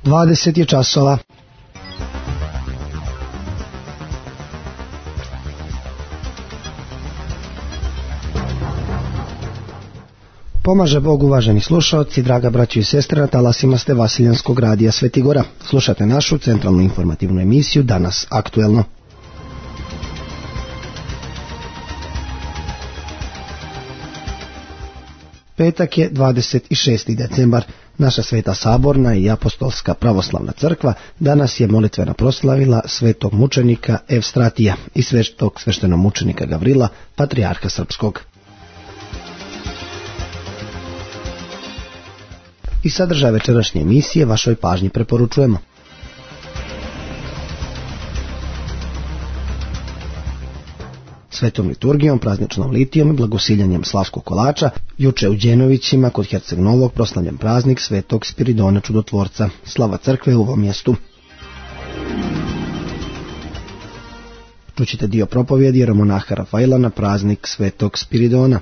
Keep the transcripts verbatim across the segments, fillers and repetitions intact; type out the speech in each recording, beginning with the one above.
dvadeset je časova. Pomaže Bog, uvaženi slušaoci, draga braćo i sestre, na talasima ste Vasiljanskog radija Sveti Gora. Slušate našu centralnu informativnu emisiju Danas aktuelno. Petak je dvadeset šesti decembar. Naša Sveta Saborna i Apostolska pravoslavna crkva danas je molitveno proslavila svetog mučenika Evstratija i svetog sveštenomučenika Gavrila, patrijarha srpskog. I sadržaj večerašnje emisije vašoj pažnji preporučujemo. Svetom liturgijom, prazničnom litijom i blagosiljanjem slavskog kolača, juče u Đenovićima kod Herceg Novog proslavljen praznik svetog Spiridona Čudotvorca. Slava crkve u ovom mjestu. Čućite dio propovjedi jeromonaha Rafaila na praznik svetog Spiridona.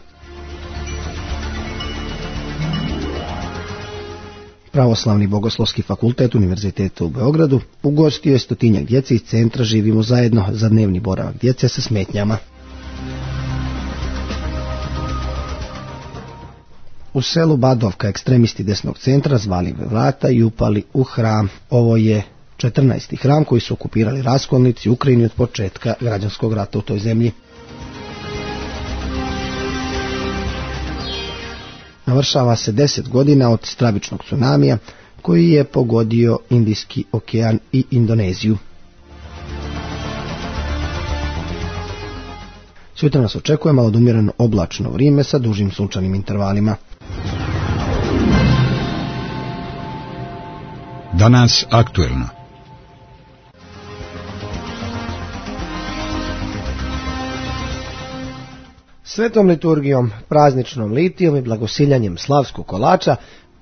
Pravoslavni bogoslovski fakultet Univerziteta u Beogradu ugostio je stotinjak djece iz centra Živimo zajedno za dnevni boravak djece sa smetnjama. U selu Badovka ekstremisti desnog centra zvali vrata i upali u hram. Ovo je četrnaesti hram koji su okupirali raskolnici u Ukrajini od početka građanskog rata u toj zemlji. Navršava se deset godina od stravičnog tsunamija koji je pogodio Indijski okean i Indoneziju. Sutra nas očekuje malo odumjereno oblačno vrijeme sa dužim sunčanim intervalima. Danas aktuelno. Svetom liturgijom, prazničnom litijom i blagosiljanjem slavskog kolača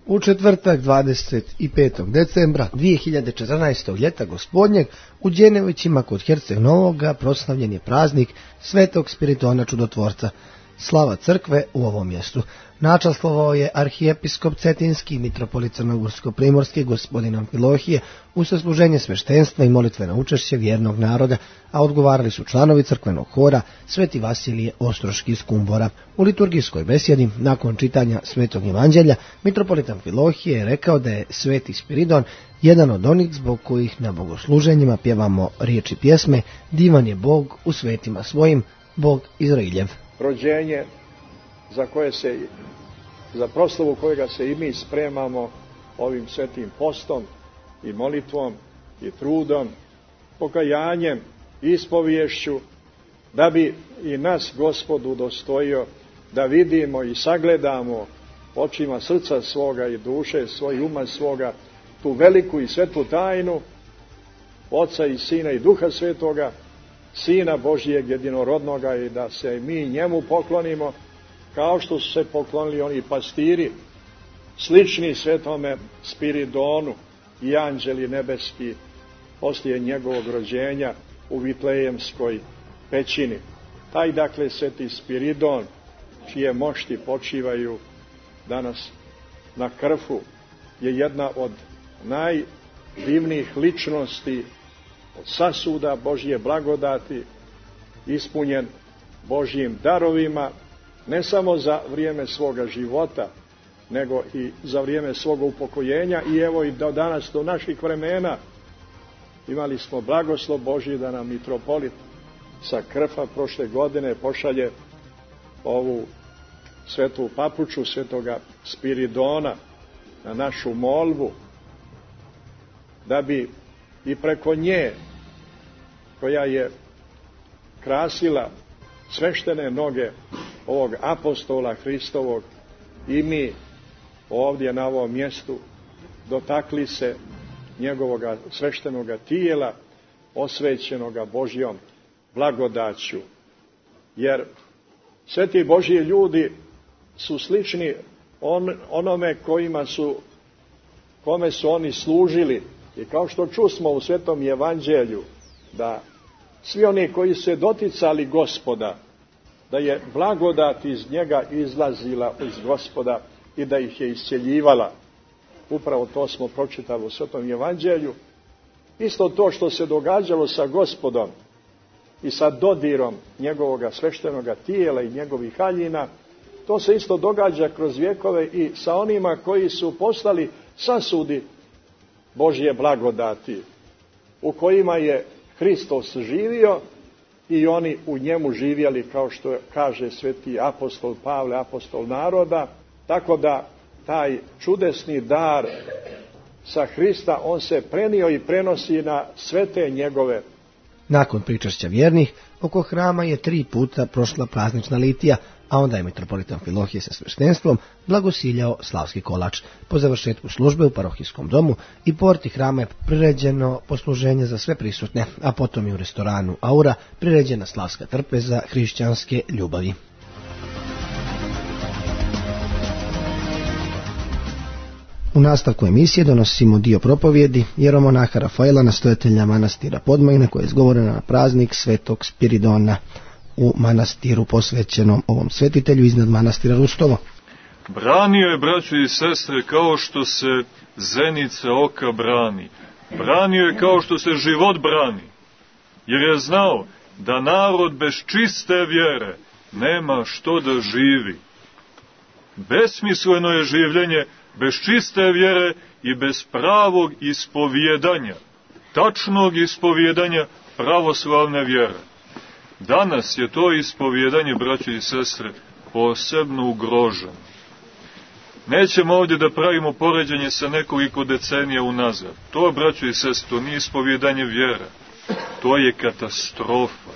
u četvrtak dvadeset petog decembra dvije hiljade četrnaestog ljeta gospodnjeg u Đenovićima kod Herceg Novoga proslavljen je praznik svetog Spiridona Čudotvorca. Slava crkve u ovom mjestu. Načastvovao je arhijepiskop Cetinski, mitropolit Crnogorsko-primorski gospodin Amfilohije u sasluženje sveštenstva i molitveno učešće vjernog naroda, a odgovarali su članovi crkvenog hora Sveti Vasilije Ostroški iz Kumbora. U liturgijskoj besjedi, nakon čitanja Svetog Evanđelja, mitropolit Amfilohije je rekao da je Sveti Spiridon jedan od onih zbog kojih na bogosluženjima pjevamo riječi pjesme Divan je Bog u svetima svojim, Bog Izrailjev. Rođenje za koje se, za proslavu kojega se i mi spremamo ovim svetim postom i molitvom i trudom, pokajanjem, ispoviješću, da bi i nas Gospod udostojio da vidimo i sagledamo očima srca svoga i duše svoj uma svoga tu veliku i svetu tajnu Oca i Sina i Duha Svetoga, Sina Božijeg jedinorodnoga, i da se mi njemu poklonimo kao što su se poklonili oni pastiri slični svetome Spiridonu i anđeli nebeski poslije njegovog rođenja u Vitlejemskoj pećini. Taj dakle sveti Spiridon, čije mošti počivaju danas na Krfu, je jedna od najdivnijih ličnosti, od sasuda Božje blagodati, ispunjen Božjim darovima, ne samo za vrijeme svoga života, nego i za vrijeme svoga upokojenja, i evo i do danas, do naših vremena, imali smo blagoslov Božji da nam mitropolit sa Krfa prošle godine pošalje ovu svetu papuču svetoga Spiridona na našu molbu, da bi i preko nje, koja je krasila sveštene noge ovog apostola Hristovog, i mi ovdje na ovom mjestu dotakli se njegovoga sveštenoga tijela, osvećenoga Božjom blagodaću. Jer sveti Božji ljudi su slični on, onome kojima su, kome su oni služili. I kao što čusmo u Svetom Evanđelju, da svi oni koji su se doticali Gospoda, da je blagodat iz njega izlazila iz Gospoda i da ih je isceljivala. Upravo to smo pročitali u Svetom evanđelju. Isto to što se događalo sa Gospodom i sa dodirom njegovoga sveštenoga tijela i njegovih haljina, to se isto događa kroz vjekove i sa onima koji su postali sasudi Božje blagodati, u kojima je Hristos živio i oni u njemu živjeli, kao što kaže sveti apostol Pavle, apostol naroda. Tako da taj čudesni dar sa Hrista, on se prenio i prenosi na sve te njegove. Nakon pričašća vjernih, oko hrama je tri puta prošla praznična litija, a onda je mitropolitan Amfilohije sa sveštenstvom blagosiljao slavski kolač. Po završetku službe u parohijskom domu i porti hrama je priređeno posluženje za sve prisutne, a potom i u restoranu Aura priređena slavska trpeza hrišćanske ljubavi. U nastavku emisije donosimo dio propovjedi jeromonaha Rafaela, nastojatelja manastira Podmajina, koja je izgovorena na praznik svetog Spiridona u manastiru posvećenom ovom svetitelju iznad manastira Rustovo. Branio je, braćo i sestre, kao što se zenica oka brani. Branio je kao što se život brani. Jer je znao da narod bez čiste vjere nema što da živi. Besmisleno je življenje bez čiste vjere i bez pravog ispovjedanja, tačnog ispovjedanja pravoslavne vjere. Danas je to ispovjedanje, braćo i sestre, posebno ugroženo. Nećemo ovdje da pravimo poređenje sa nekoliko decenija unazad. To, braćo i sestre, to nije ispovjedanje vjere. To je katastrofa.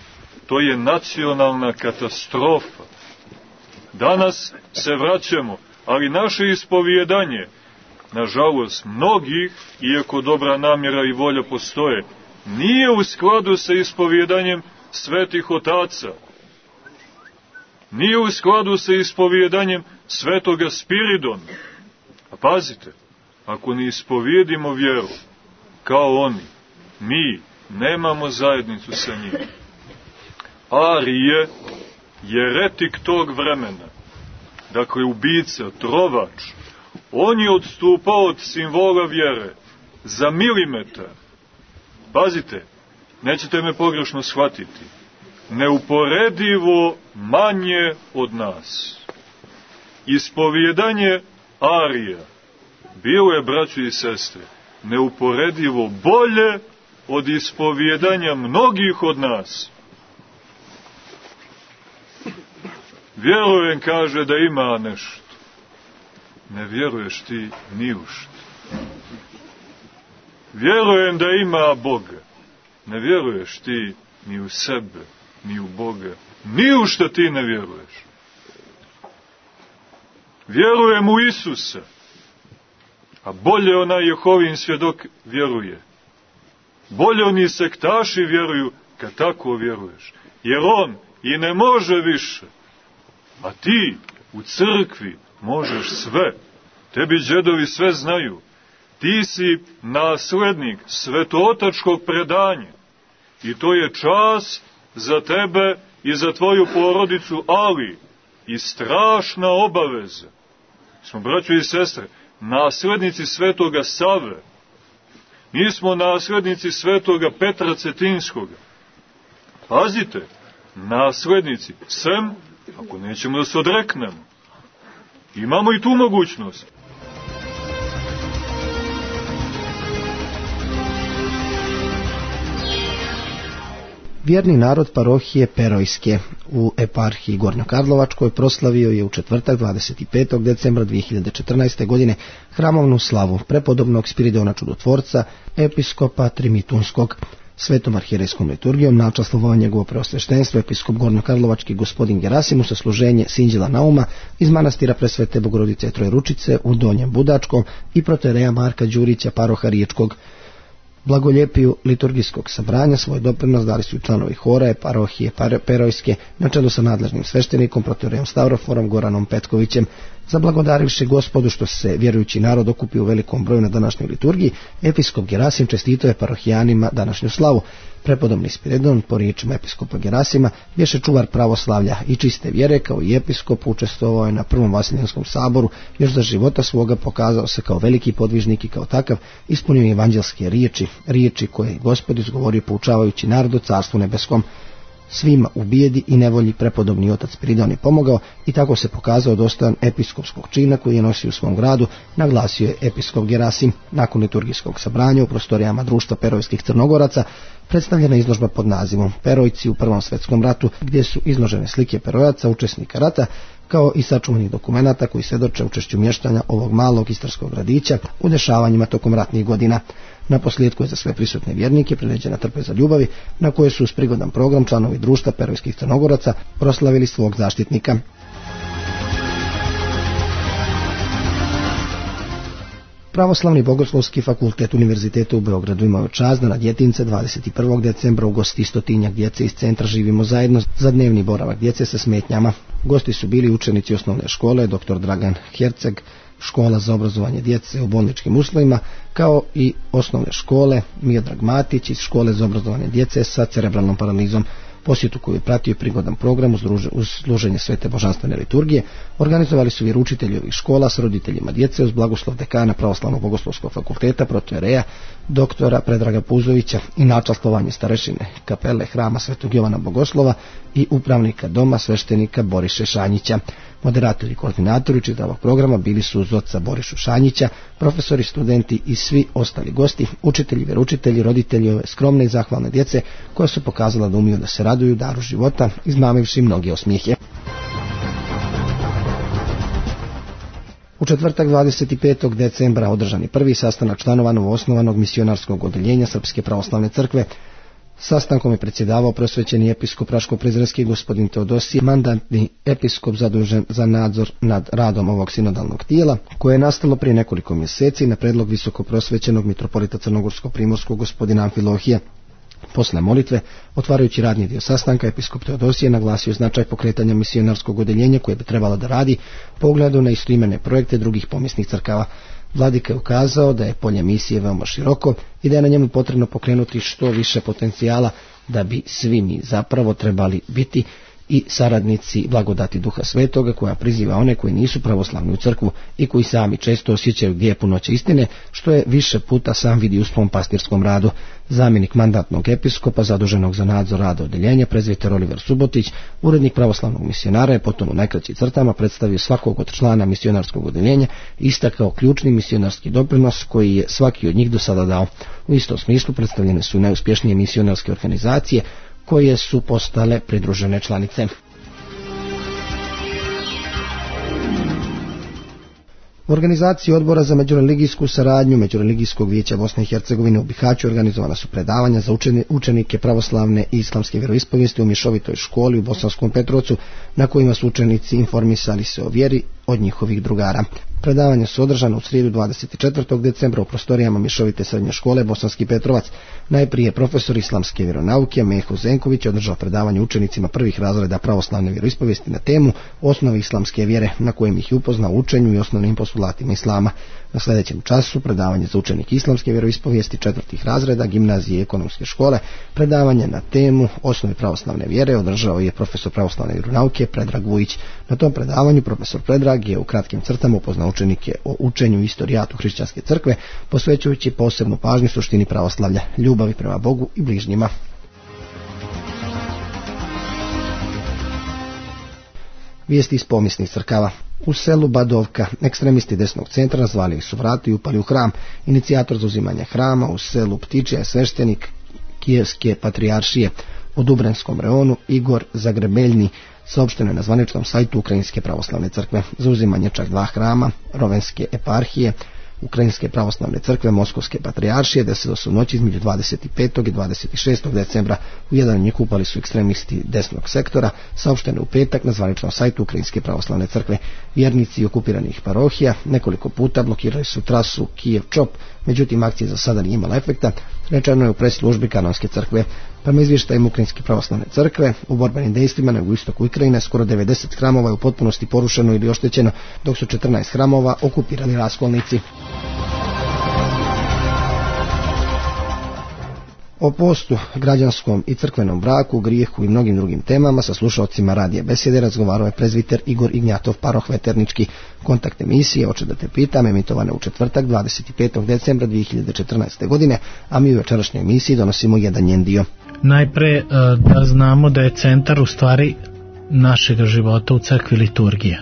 To je nacionalna katastrofa. Danas se vraćamo, ali naše ispovjedanje, nažalost, mnogih, iako dobra namjera i volja postoje, nije u skladu sa ispovjedanjem svetih otaca. Nije u skladu sa ispovjedanjem svetoga Spiridona. A pazite, ako ne ispovjedimo vjeru kao oni, mi nemamo zajednicu sa njim. Arije, jeretik tog vremena, dakle ubica, trovač, on je odstupao od simbola vjere za milimetar. Pazite, nećete me pogrešno shvatiti, neuporedivo manje od nas. Ispovjedanje Arija bilo je, braćo i sestre, neuporedivo bolje od ispovjedanja mnogih od nas. Vjerujem, kaže, da ima nešto. Ne vjeruješ ti ni u što. Vjerujem da ima Boga. Ne vjeruješ ti ni u sebe, ni u Boga. Ni u što ti ne vjeruješ. Vjerujem u Isusa. A bolje onaj Jehovin svjedok vjeruje. Bolje oni sektaši vjeruju kad tako vjeruješ. Jer on i ne može više. A ti u crkvi možeš sve. Tebi džedovi sve znaju. Ti si naslednik svetootačkog predanja. I to je čast za tebe i za tvoju porodicu, ali i strašna obaveza. Smo, braćo i sestre, naslednici svetoga Save. Nismo naslednici svetoga Petra Cetinskoga. Pazite, naslednici, sem ako nećemo da se odreknemo. Imamo i tu mogućnost. Vjerni narod parohije Perojske u eparhiji Gornjokarlovačkoj proslavio je u četvrtak dvadeset petog decembra dvije hiljade četrnaeste. godine hramovnu slavu prepodobnog Spiridona Čudotvorca, episkopa Trimitunskog. Svetom arhijerejskom liturgijom načastvovao njegovo preosveštenstvo episkop Gornjokarlovački gospodin Gerasimus sa služenje Sinđela Nauma iz manastira Presvete Bogorodice Trojeručice u Donjem Budačkom i protereja Marka Đurića, paroha Riječkog. Blagoljepiju liturgijskog sabranja svoj doprinos dali su i članovi hora parohije Perojske na čelu sa nadležnim sveštenikom proterejom Stavroforom Goranom Petkovićem. Zablagodarivši Gospodu što se vjerujući narod okupio u velikom broju na današnjoj liturgiji, episkop Gerasim čestitao je parohijanima današnju slavu. Prepodobni Spiridon, po riječima episkopa Gerasima, bješe čuvar pravoslavlja i čiste vjere, kao i episkop učestvovao je na prvom Vasiljanskom saboru, još za života svoga pokazao se kao veliki podvižnik i kao takav ispunio evanđelske riječi, riječi koje je Gospod izgovorio poučavajući narod o Carstvu nebeskom. Svima u bijedi i nevolji prepodobni otac Spiridon je pomogao i tako se pokazao dostojan episkopskog čina koji je nosio u svom gradu, naglasio je episkop Gerasim. Nakon liturgijskog sabranja u prostorijama društva Perojskih Crnogoraca predstavljena izložba pod nazivom Perojci u Prvom svjetskom ratu, gdje su izložene slike Perojaca, učesnika rata, kao i sačuvanih dokumenata koji svjedoče učešću mještanja ovog malog istarskog gradića u dešavanjima tokom ratnih godina. Na posljedku je za sve prisutne vjernike priređena trpeza ljubavi, na koje su uz prigodan program članovi društva Perojskih Crnogoraca proslavili svog zaštitnika. Pravoslavni bogoslovski fakultet Univerziteta u Beogradu imao je čast da na djetince dvadeset prvog decembra ugosti stotinjak djece iz centra Živimo zajedno za dnevni boravak djece sa smetnjama. Gosti su bili učenici osnovne škole doktor Dragan Herceg, škola za obrazovanje djece u bolničkim uslovima, kao i osnovne škole Miodrag Matić iz škole za obrazovanje djece sa cerebralnom paralizom. Posjetu koju je pratio prigodan program uz služenje svete božanstvene liturgije organizovali su vjeroučitelji ovih škola s roditeljima djece uz blagoslov dekana Pravoslavnog bogoslovskog fakulteta protojereja doktora Predraga Puzovića i načastvovanje starešine kapele hrama Svetog Jovana Bogoslova i upravnika doma sveštenika Boriše Šanjića. Moderatori i koordinatori čitavog programa bili su uz oca Borišu Šanjića, profesori, studenti i svi ostali gosti, učitelji, vjeroučitelji, roditelji ove skromne i zahvalne djece koja su pokazala da umiju da se raduju daru života, izmamivši mnoge osmijehe. U četvrtak dvadeset petog decembra održan je prvi sastanak članova novoosnovanog misionarskog odeljenja Srpske pravoslavne crkve. Sastankom je predsjedavao prosvećeni episkop Raško-Prizrenski gospodin Teodosije, mandatni episkop zadužen za nadzor nad radom ovog sinodalnog tijela, koje je nastalo prije nekoliko mjeseci na predlog visoko prosvećenog mitropolita Crnogorsko-Primorskog gospodina Amfilohija. Posle molitve, otvarajući radni dio sastanka, episkop Teodosije naglasio značaj pokretanja misionarskog odeljenja koje bi trebalo da radi po ugledu na istoimene projekte drugih pomisnih crkava. Vladika je ukazao da je polje misije veoma široko i da je na njemu potrebno pokrenuti što više potencijala, da bi svi mi zapravo trebali biti i saradnici blagodati Duha Svetoga koja priziva one koji nisu pravoslavni u crkvu i koji sami često osjećaju gdje je punoća istine, što je više puta sam vidi u svom pastirskom radu. Zamjenik mandatnog episkopa zaduženog za nadzor rada odeljenja, prezbiter Oliver Subotić, urednik pravoslavnog misionara, je potom u najkraćim crtama predstavio svakog od člana misionarskog odeljenja i istakao ključni misionarski doprinos koji je svaki od njih do sada dao. U istom smislu predstavljene su najuspješnije misionarske organizacije koje su postale pridružene članice. U organizaciji Odbora za međureligijsku saradnju Međureligijskog vijeća Bosne i Hercegovine u Bihaću organizovana su predavanja za učenike pravoslavne i islamske vjeroispovijesti u mješovitoj školi u Bosanskom Petrovcu, na kojima su učenici informisali se o vjeri od njihovih drugara. Predavanja su održana u srijedu dvadeset četvrtog decembra u prostorijama mješovite srednje škole Bosanski Petrovac. Najprije profesor islamske vjeronauke Meho Zenković održao predavanje učenicima prvih razreda pravoslavne vjeroispovijesti na temu osnovi islamske vjere, na kojem ih je upoznao učenju i osnovnim postulatima islama. Na sljedećem času predavanje za učenike islamske vjeroispovijesti četvrtih razreda gimnazije i ekonomske škole, predavanje na temu osnovi pravoslavne vjere održao je profesor pravoslavne vjeronauke Predrag Vujić. Na tom predavanju profesor Predrag je u kratkim crtama upoznao učenike o učenju i istorijatu hrišćanske crkve, posvećujući posebnu pažnju suštini pravoslavlja, ljubavi prema Bogu i bližnjima. Vijesti iz pomisnih crkava. U selu Badovka ekstremisti desnog centra nazvali su vrata i upali u hram. Inicijator zauzimanja hrama u selu Ptičija je sveštenik Kijevske patrijaršije u Dubranskom reonu Igor Zagrebeljni, saopšteno je na zvaničnom sajtu Ukrajinske pravoslavne crkve. Zauzimanje čak dva hrama Rovenske eparhije Ukrajinske pravoslavne crkve Moskovske patrijaršije desilo se u noći između dvadeset petog i dvadeset šestog decembra. U jedan od njih upali su ekstremisti desnog sektora, saopšteno u petak na zvaničnom sajtu Ukrajinske pravoslavne crkve. Vjernici okupiranih parohija nekoliko puta blokirali su trasu Kijev-Čop, međutim akcija za sada nije imala efekta, rečeno je u pres službi Kanonske crkve. Prema izvještajima Ukrajinske pravoslavne crkve, u borbenim dejstvima na jugoistoku Ukrajine skoro devedeset hramova je u potpunosti porušeno ili oštećeno, dok su četrnaest hramova okupirali raskolnici. O postu, građanskom i crkvenom braku, grijehu i mnogim drugim temama sa slušalcima radija Besjede razgovarao je prezviter Igor Ignjatov, paroh Veternički. Kontakt emisije Oče da te pitam emitovane u četvrtak dvadeset petog decembra dvije hiljade četrnaeste. godine, a mi u večerašnjoj emisiji donosimo jedan njen dio. Najpre da znamo da je centar u stvari našega života u crkvi liturgija.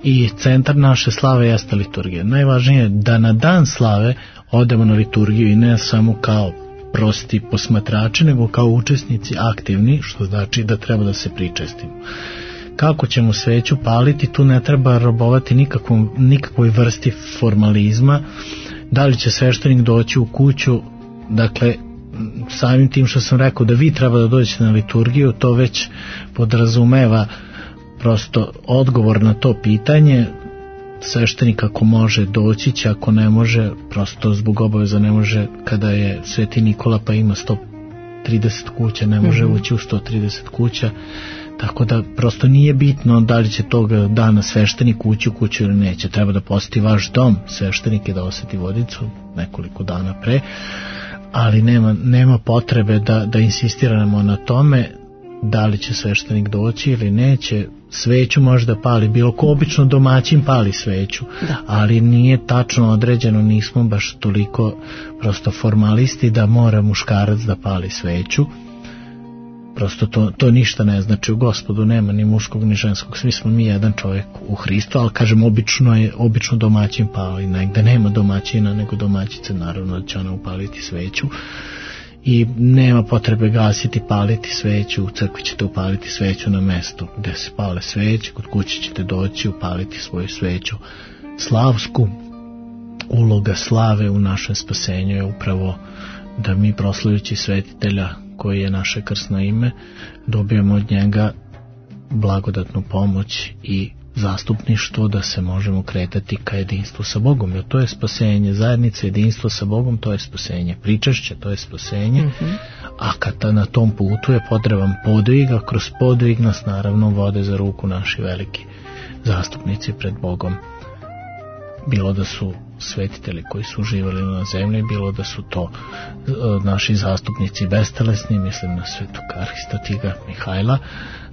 I centar naše slave jeste liturgija. Najvažnije je da na dan slave odemo na liturgiju i ne samo kao prosti posmatrači, nego kao učesnici aktivni, što znači da treba da se pričestimo. Kako ćemo sveću paliti, tu ne treba robovati nikakvom, nikakvoj vrsti formalizma. Da li će sveštenik doći u kuću, dakle, samim tim što sam rekao da vi treba da dođete na liturgiju, to već podrazumeva prosto odgovor na to pitanje. Sveštenik ako može doći će, ako ne može, prosto zbog obaveza ne može. Kada je Sveti Nikola pa ima sto trideset kuća, ne može mm-hmm. ući u sto trideset kuća, tako da prosto nije bitno da li će tog dana sveštenik ući u kuću ili neće. Treba da posjeti vaš dom sveštenik i da osjeti vodicu nekoliko dana pre, ali nema, nema potrebe da, da insistiramo na tome da li će sveštenik doći ili neće. Sveću može da pali bilo ko, obično domaćin pali sveću, da. Ali nije tačno određeno, nismo baš toliko prosto formalisti da mora muškarac da pali sveću. Prosto to, to ništa ne znači. U Gospodu nema ni muškog ni ženskog, svi smo mi jedan čovjek u Hristu, ali kažem obično je obično domaćin pali, negde nema domaćina nego domaćice, naravno da će ona upaliti sveću. I nema potrebe gasiti, paliti sveću, u crkvi ćete upaliti sveću na mestu gde se pale sveće, kod kuće ćete doći upaliti svoju sveću slavsku. Uloga slave u našem spasenju je upravo da mi proslavljajući svetitelja koji je naše krsno ime dobijemo od njega blagodatnu pomoć i zastupništvo da se možemo kretati ka jedinstvu sa Bogom, jer to je spasenje zajednice, jedinstvo sa Bogom, to je spasenje pričašće, to je spasenje, mm-hmm. a kada na tom putu je potreban podvig, a kroz podvig nas naravno vode za ruku naši veliki zastupnici pred Bogom, bilo da su svetitelji koji su živjeli na zemlji, bilo da su to uh, naši zastupnici bestelesni, mislim na svetog Arhistotiga Mihajla.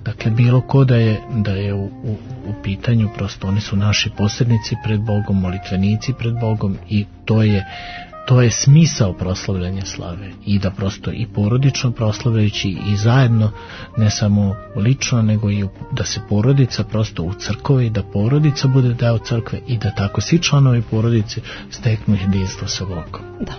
Dakle, bilo ko da je, da je u, u, u pitanju, prosto oni su naši posrednici pred Bogom, molitvenici pred Bogom, i to je, to je smisao proslavljanja slave. I da prosto i porodično proslavljajući i zajedno, ne samo lično, nego i da se porodica prosto u crkvi, da porodica bude deo crkve i da tako svi članovi porodice steknu jedinstvo sa Bogom. Da.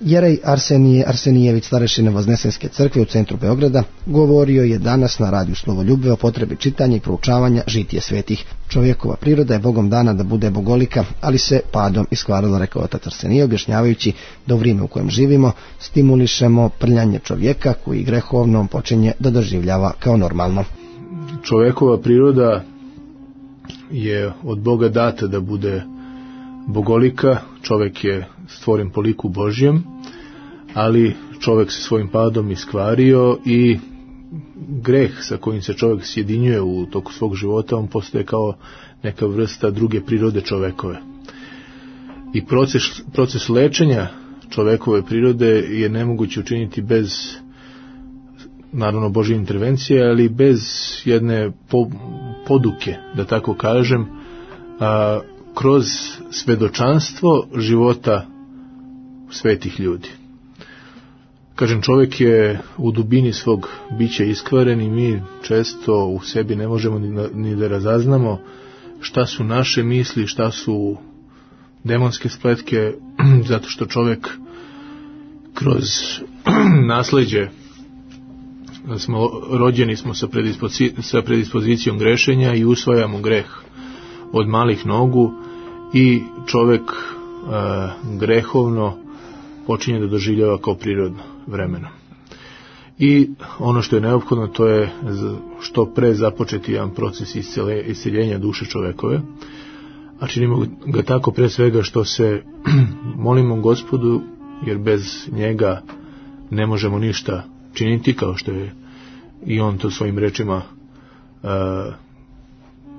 Jerej Arsenije Arsenijević, starešina Voznesenske crkve u centru Beograda, govorio je danas na radiju Slovoljubve o potrebi čitanja i proučavanja žitije svetih. Čovjekova priroda je Bogom dana da bude bogolika, ali se padom iskvarila, rekao otac Arsenije, objašnjavajući da u vrijeme u kojem živimo stimulišemo prljanje čovjeka koji grehovno počinje da doživljava kao normalno. Čovjekova priroda je od Boga data da bude bogolika, čovjek je stvoren po liku Božjem, ali čovjek se svojim padom iskvario i greh sa kojim se čovjek sjedinjuje u toku svog života, on postaje kao neka vrsta druge prirode čovjekove. I proces, proces lečenja čovjekove prirode je nemoguće učiniti bez, naravno, Božje intervencije, ali bez jedne po, poduke, da tako kažem, a, kroz svedočanstvo života svetih ljudi. Kažem, čovjek je u dubini svog bića iskvaren i mi često u sebi ne možemo ni, ni da razaznamo šta su naše misli, šta su demonske spletke, zato što čovjek kroz nasleđe, smo rođeni smo sa, predispozi, sa predispozicijom grešenja i usvajamo greh od malih nogu i čovjek e, grehovno počinje da doživljava kao prirodno vremeno. I ono što je neophodno, to je što pre započeti jedan proces isceljenja duše čovjekove, a činimo ga tako pre svega što se molimo Gospodu, jer bez njega ne možemo ništa činiti, kao što je i on to svojim rečima uh,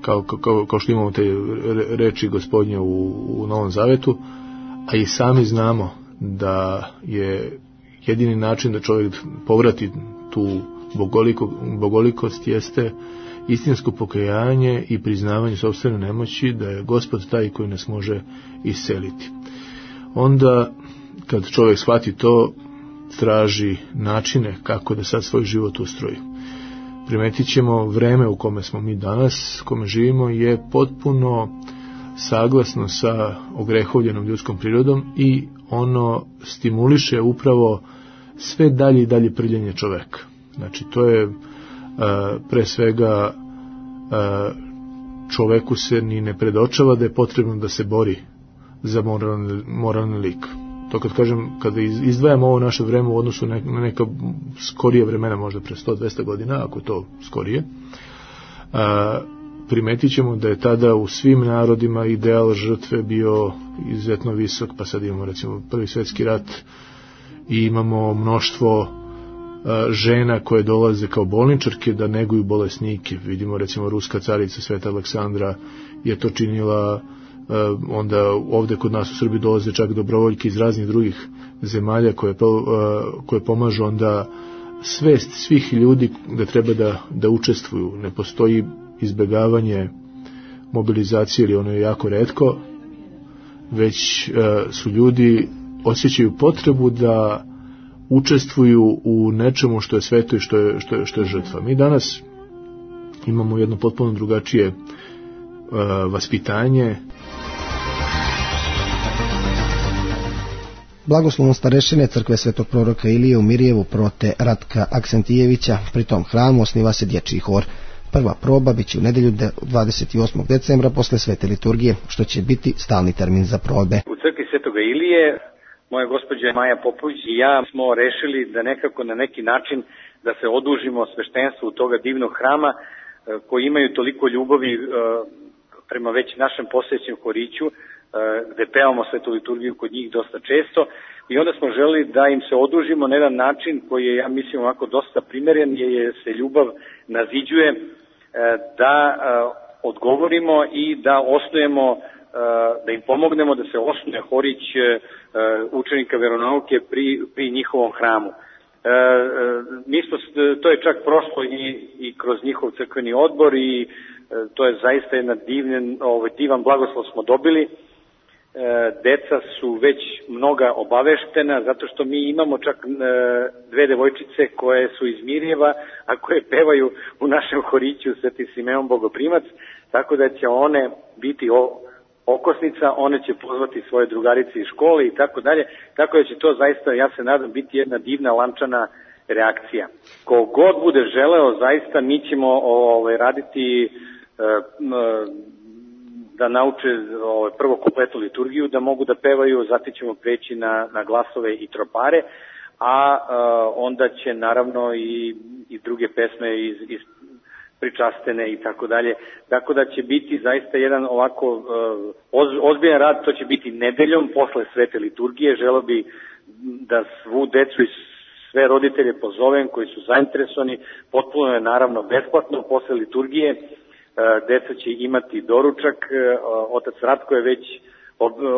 kao, kao, kao što imamo te reči Gospodnje u, u Novom Zavetu, a i sami znamo da je jedini način da čovjek povrati tu bogoliko, bogolikost jeste istinsko pokajanje i priznavanje sopstvene nemoći, da je Gospod taj koji nas može isceliti. Onda kad čovjek shvati to, traži načine kako da sad svoj život ustroji. Primetit ćemo vreme u kome smo mi danas, u kome živimo, je potpuno saglasno sa ogrehovljenom ljudskom prirodom i ono stimuliše upravo sve dalje i dalje prljenje čoveka. Znači, to je uh, pre svega uh, čoveku se ni ne predočava da je potrebno da se bori za moralni, moralni lik. To kad kažem, kada izdvajamo ovo naše vreme u odnosu na neka skorije vremena, možda pre sto do dvesta godina, ako to skorije, a, primetit ćemo da je tada u svim narodima ideal žrtve bio izuzetno visok, pa sad imamo recimo Prvi svjetski rat i imamo mnoštvo a, žena koje dolaze kao bolničarke da neguju bolesnike. Vidimo recimo ruska carica Sveta Aleksandra je to činila. Onda ovde kod nas u Srbiji dolaze čak dobrovoljke iz raznih drugih zemalja koje, koje pomažu onda svest svih ljudi da treba da, da učestvuju. Ne postoji izbegavanje mobilizacije ili ono je jako retko, već su ljudi osjećaju potrebu da učestvuju u nečemu što je sveto i što je, što je, što je žrtva. Mi danas imamo jedno potpuno drugačije uh, vaspitanje. Blagoslovom starešine crkve Svetog proroka Ilije u Mirjevu prote Ratka Aksentijevića, pri tom hramu osniva se dječji hor. Prva proba biće u nedjelju dvadeset osmog decembra posle svete liturgije, što će biti stalni termin za probe. U crkvi Svetoga Ilije moja gospođa Maja Popović i ja smo rešili da nekako na neki način da se odužimo sveštenstvu toga divnog hrama koji imaju toliko ljubavi prema već našem postojećem horiću, gde pevamo svetu liturgiju kod njih dosta često, i onda smo želeli da im se odužimo na jedan način koji je, ja mislim, ovako dosta primeren, je se ljubav naziđuje, da odgovorimo i da osnujemo, da im pomognemo da se osnuje horić učenika veronauke pri, pri njihovom hramu. Mi smo, to je čak prošlo i, i kroz njihov crkveni odbor i to je zaista jedan divnen, ovaj, divan blagoslov smo dobili. Deca su već mnoga obaveštena, zato što mi imamo čak dve devojčice koje su iz Mirjeva, a koje pevaju u našem horiću Sveti Simeon Bogoprimac, tako da će one biti okosnica, one će pozvati svoje drugarice iz škole i tako dalje, tako da će to zaista, ja se nadam, biti jedna divna lančana reakcija. Ko god bude želeo, zaista mi ćemo ovaj, raditi da nauče ovaj, prvo kompletnu liturgiju, da mogu da pevaju, zatim ćemo preći na, na glasove i tropare, a, a onda će naravno i, i druge pesme iz, iz pričastene i tako dalje. Tako da će biti zaista jedan ovako oz, ozbiljan rad, to će biti nedeljom posle svete liturgije. Želeo bi da svu decu i sve roditelje pozovem koji su zainteresovani, potpuno je naravno besplatno posle liturgije. Deca će imati doručak, otac Ratko je već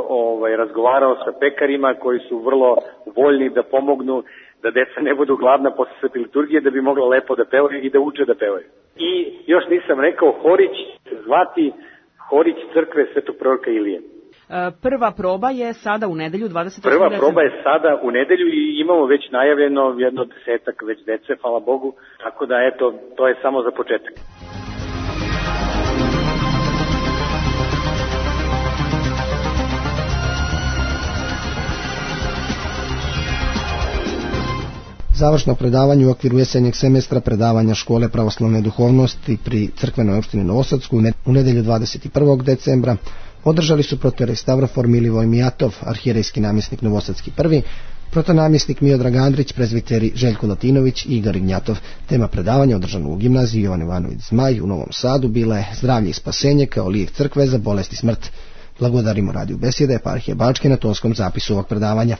ovaj, razgovarao sa pekarima koji su vrlo voljni da pomognu da deca ne budu gladna posle svete liturgije, da bi mogla lepo da pevaju i da uče da pevaju. I još nisam rekao, horić se zvati Horić crkve Svetog proroka Ilije. Prva proba je sada u nedelju dvadeset osmog Prva decembra. proba je sada u nedelju i imamo već najavljeno jedno desetak već dece, hvala Bogu, tako da eto, to je samo za početak. Završno predavanje u okviru jesenjeg semestra predavanja škole pravoslavne duhovnosti pri crkvenoj opštini Novosadsku u nedjelju dvadeset prvog decembra održali su protorej Stavrofor Milivoj Mijatov, arhijerejski namjesnik Novosadski prvi, protonamjesnik Miodrag Andrić, prezbiteri Željko Latinović i Igor Ignjatov. Tema predavanja održana u gimnaziji Jovan Ivanović Zmaj u Novom Sadu bila je zdravlje i spasenje kao lijek crkve za bolest i smrt. Blagodarimo radiju besjede Eparhije Bačke na tonskom zapisu ovog predavanja.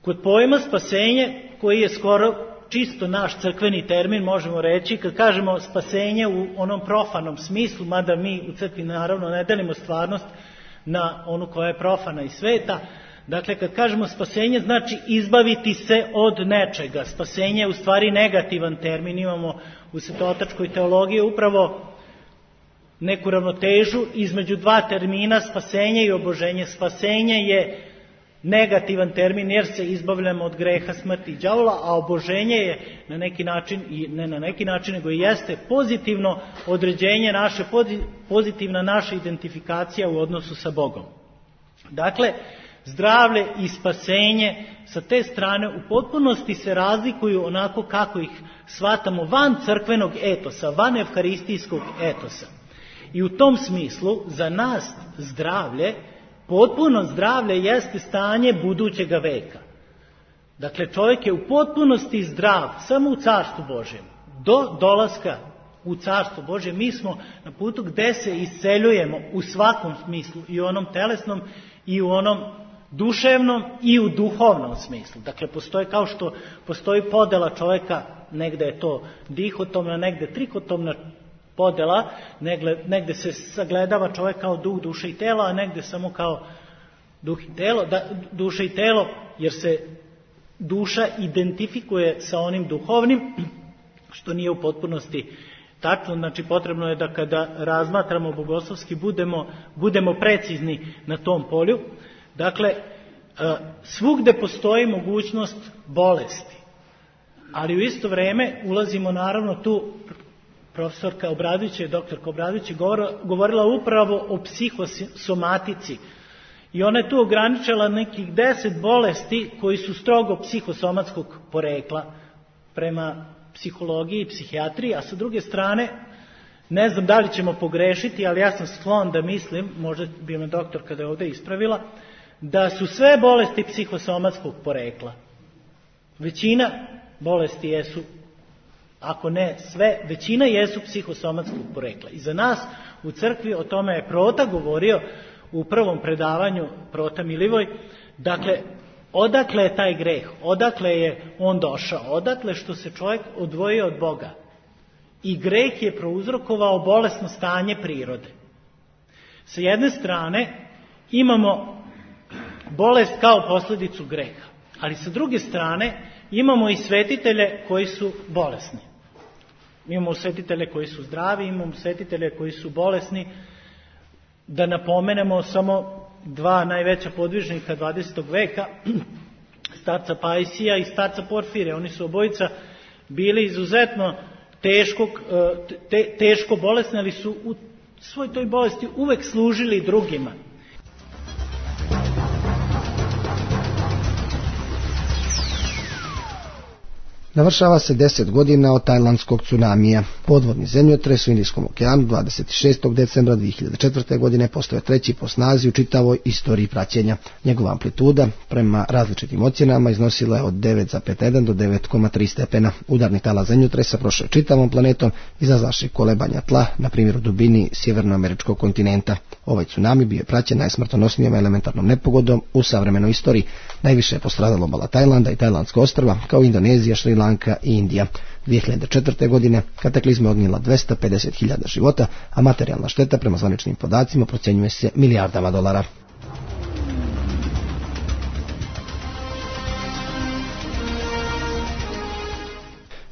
Kod pojma spasenje, koji je skoro čisto naš crkveni termin, možemo reći, kad kažemo spasenje u onom profanom smislu, mada mi u crkvi naravno ne delimo stvarnost na onu koja je profana i sveta, dakle kad kažemo spasenje znači izbaviti se od nečega. Spasenje je u stvari negativan termin, imamo u svetotačkoj teologiji upravo neku ravnotežu između dva termina, spasenje i oboženje. Spasenje je negativan termin jer se izbavljamo od greha, smrti i đavola, a oboženje je na neki način, i ne na neki način, nego i jeste pozitivno određenje naše, pozitivna naša identifikacija u odnosu sa Bogom. Dakle, zdravlje i spasenje sa te strane u potpunosti se razlikuju onako kako ih shvatamo van crkvenog etosa, van evharistijskog etosa. I u tom smislu za nas zdravlje, potpuno zdravlje jeste stanje budućega veka. Dakle, čovjek je u potpunosti zdrav samo u Carstvu Božjem. Do dolaska u Carstvo Božje mi smo na putu gde se isceljujemo u svakom smislu, i u onom telesnom, i u onom duševnom, i u duhovnom smislu. Dakle, postoji, kao što postoji podela čovjeka, negde je to dihotomna, negde trikotomna podela, negde, negde se sagledava čovjek kao duh, duša i telo, a negde samo kao duh i telo, da, duša i telo, jer se duša identifikuje sa onim duhovnim, što nije u potpunosti tačno. Znači, potrebno je da kada razmatramo bogoslovski budemo, budemo precizni na tom polju. Dakle, svugde postoji mogućnost bolesti, ali u isto vrijeme ulazimo naravno tu. Profesorka Obradović, doktorka Obradović je govorila upravo o psihosomatici i ona je tu ograničila nekih deset bolesti koji su strogo psihosomatskog porekla prema psihologiji i psihijatriji, a sa druge strane, ne znam da li ćemo pogrešiti, ali ja sam sklon da mislim, možda bi me doktor kada je ovdje ispravila, da su sve bolesti psihosomatskog porekla. Većina bolesti jesu, ako ne sve, većina jesu psihosomatskog porekla. I za nas u crkvi, o tome je Prota govorio u prvom predavanju, Prota Milivoj, dakle, odakle je taj greh, odakle je on došao, odakle što se čovjek odvojio od Boga. I greh je prouzrokovao bolesno stanje prirode. Sa jedne strane imamo bolest kao posljedicu greha, ali sa druge strane imamo i svetitelje koji su bolesni. Imamo svetitelje koji su zdravi, imamo svetitelje koji su bolesni. Da napomenemo samo dva najveća podvižnika dvadesetog veka, starca Pajsija i starca Porfirija. Oni su obojica bili izuzetno teško, te, teško bolesni, ali su u svoj toj bolesti uvek služili drugima. Navršava se deset godina od tajlandskog tsunamija. Podvodni zemljotres u Indijskom okeanu dvadeset šestog decembra dvije hiljade četvrte. godine postao treći po snazi u čitavoj istoriji praćenja. Njegova amplituda prema različitim ocjenama iznosila je od devet zarez jedan do devet zarez tri stepena. Udarni talas zemljotresa prošao je čitavom planetom, izazvavši kolebanja tla, na primjer u dubini sjevernoameričkog kontinenta. Ovaj tsunami bio je praćen najsmrtonosnijom elementarnom nepogodom u savremenoj istoriji. Najviše je postradalo obala Tajlanda i Tajlandska ostrva, kao Indonezija, Šri Lanka i Indija. dvije hiljade četvrte. godine kataklizma odnijela dvesta pedeset hiljada života, a materijalna šteta prema zvaničnim podacima procjenjuje se milijardama dolara.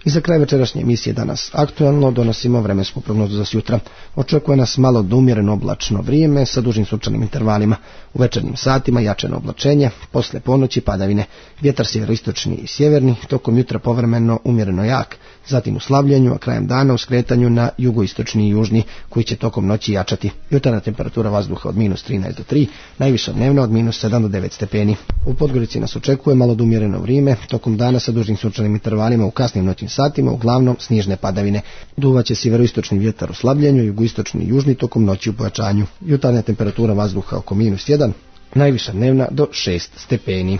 I za kraj večerašnje emisije Danas aktualno donosimo vremensku prognozu za sutra. Očekuje nas malo do umjereno oblačno vrijeme sa dužim sunčanim intervalima. U večernjim satima jačeno oblačenje, posle ponoći padavine, vjetar sjeveroistočni i sjeverni, tokom jutra povremeno umjereno jak, zatim u slavljenju, a krajem dana u skretanju na jugoistočni i južni, koji će tokom noći jačati. Jutarnja temperatura vazduha od minus trinaest do tri, najviša dnevna od minus sedam do devet stepeni. U Podgorici nas očekuje malo do umjereno vrijeme, tokom dana sa dužim sunčanim intervalima u kasnim noćnim satima, uglavnom snježne padavine. Duvaće sjeveroistočni vjetar u slabljenju, jugoistočni i južni tokom noći u pojačanju. Jutarnja temperatura vazduha oko minus jedan, najviša dnevna do šest stepeni.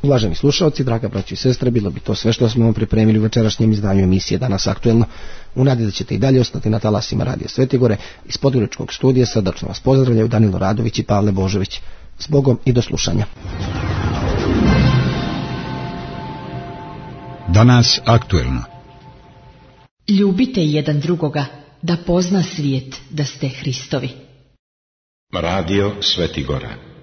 Uvaženi slušalci, draga braćo i sestre, bilo bi to sve što smo vam pripremili u večerašnjem izdanju emisije Danas aktuelno. U nadi da ćete i dalje ostati na talasima Radija Svetigore. Iz Podgoričkog studija srdačno vas pozdravljaju Danilo Radović i Pavle Božović. S Bogom i do slušanja. Danas aktuelno. Ljubite jedan drugoga, da pozna svijet da ste Hristovi. Radio Svetigora.